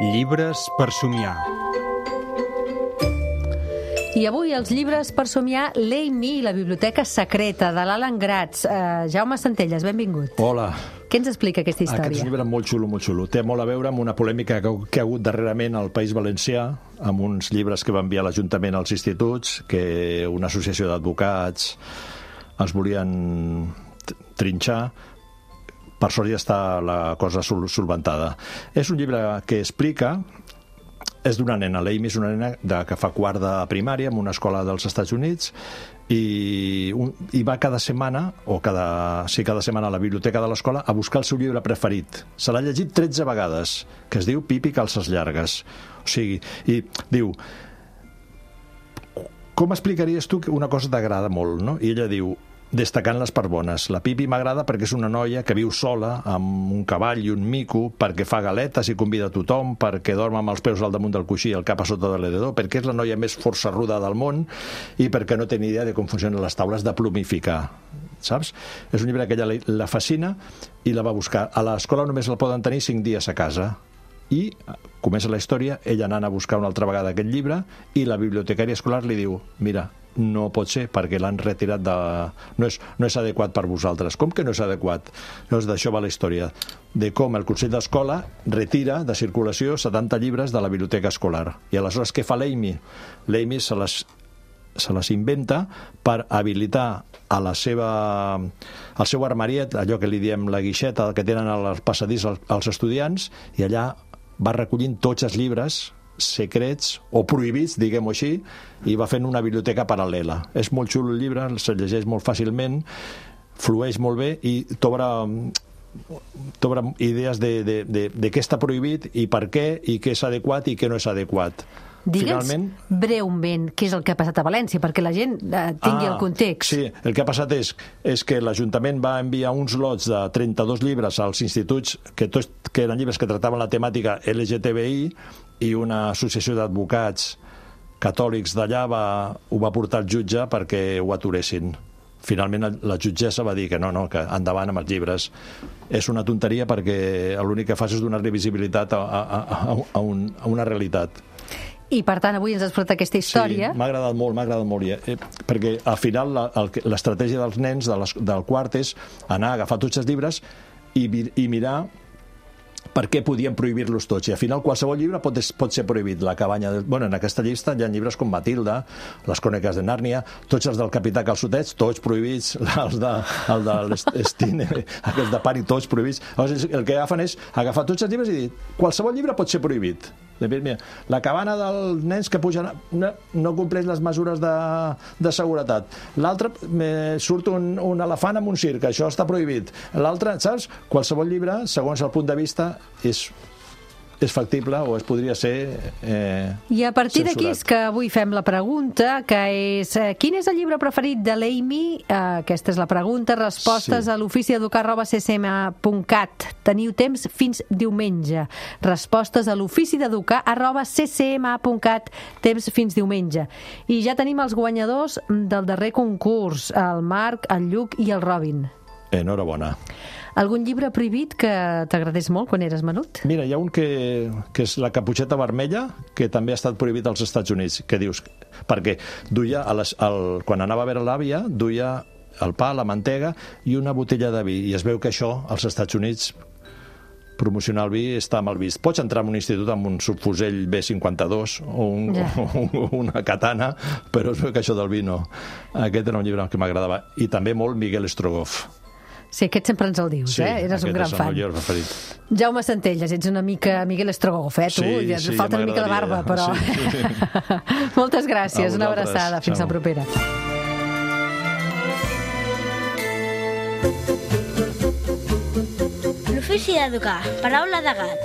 Llibres per somiar. I avui els llibres per somiar, l'Amy i la biblioteca secreta, de l'Alan Gratz. Jaume Centelles, benvingut. Hola. Què ens explica aquesta història? Aquest llibre molt xulo, molt xulo. Té molt a veure amb una polèmica que ha hagut darrerament al País Valencià, amb uns llibres que va enviar l'Ajuntament als instituts, que una associació d'advocats els volien trinxar. Per sort ja està la cosa solventada. És un llibre que explica... És d'una nena, l'Amy és una nena que fa quart de primària en una escola dels Estats Units i va cada setmana a la biblioteca de l'escola a buscar el seu llibre preferit. Se l'ha llegit 13 vegades, que es diu Pipi calces llargues. O sigui, i diu, com explicaries tu que una cosa t'agrada molt, no? I ella diu, destacant les parts bones. La Pipi m'agrada perquè és una noia que viu sola, amb un cavall i un mico, perquè fa galetes i convida a tothom, perquè dorm amb els peus al damunt del coixí i el cap a sota de l'edredor, perquè és la noia més forçarruda del món i perquè no té ni idea de com funcionen les taules de plumificar. Saps? És un llibre que ella la fascina i la va buscar. A l'escola només el poden tenir 5 dies a casa. I comença la història, ella anant a buscar una altra vegada aquest llibre i la bibliotecària escolar li diu, mira, no pot ser perquè l'han retirat de... No és adequat per vosaltres. Com que no és adequat? Llavors d'això va la història, de com el Consell d'Escola retira de circulació 70 llibres de la biblioteca escolar. I aleshores què fa l'Amy? L'Amy se les inventa per habilitar al seu armariet, allò que li diem la guixeta que tenen al passadís als estudiants, i allà va recollint tots els llibres secrets o prohibits, diguem-ho així, i va fent una biblioteca paral·lela. És molt xulo el llibre, se llegeix molt fàcilment, flueix molt bé i t'obre idees de què està prohibit i per què, i què és adequat i què no és adequat. Digue'ns breument què és el que ha passat a València, perquè la gent tingui el context. Sí, el que ha passat és que l'Ajuntament va enviar uns lots de 32 llibres als instituts, que eren llibres que tractaven la temàtica LGTBI, i una associació d'advocats catòlics d'allà ho va portar al jutge perquè ho aturessin. Finalment la jutgessa va dir que no, que endavant amb els llibres. És una tonteria perquè l'únic que fas és donar-li visibilitat a una realitat. I per tant avui ens has portat aquesta història. Sí, m'ha agradat molt, perquè al final l'estratègia dels nens del quart és anar a agafar tots els llibres i mirar per què podien prohibir-los tots. I al final qualsevol llibre pot ser prohibit. La cabanya... en aquesta llista hi ha llibres com Matilda, Les cròniques de Nàrnia, tots els del Capità Calçotets, tots prohibits, el de l'Estine, aquests de Pari, tots prohibits. Llavors, el que agafen és agafar tots els llibres i dir, qualsevol llibre pot ser prohibit. Mira, la cabana dels nens que pugen no compleix les mesures de seguretat. L'altre, surt un elefant amb un circ, això està prohibit. L'altre, saps? Qualsevol llibre, segons el punt de vista, és factible o es podria ser I a partir d'aquí censurat. és que avui fem la pregunta, que és quin és el llibre preferit de l'Amy? Aquesta és la pregunta. Respostes a l'oficideducar@ccma.cat. Teniu temps fins diumenge. Respostes a l'oficideducar@ccma.cat. Temps fins diumenge. I ja tenim els guanyadors del darrer concurs, el Marc, el Lluc i el Robin. Enhorabona. Algun llibre prohibit que t'agradés molt quan eres menut? Mira, hi ha un que és La caputxeta vermella, que també ha estat prohibit als Estats Units. Què dius? Perquè duia, quan anava a veure l'àvia, duia el pa, la mantega i una botella de vi. I es veu que això, als Estats Units, promocionar el vi està mal vist. Pots entrar en un institut amb un subfusell B52 o una katana, però es veu que això del vi no. Aquest era un llibre que m'agradava. I també molt Miguel Strogoff. Sí, aquest sempre ens el dius, Eres un gran fan. Sí, aquest és el meu preferit. Jaume Centelles, ets una mica Miguel Strogoff, tu? Sí, ja et falta una mica de barba, però... Sí. Moltes gràcies, una abraçada. Fins la propera. L'ofici d'educar, paraula de gat.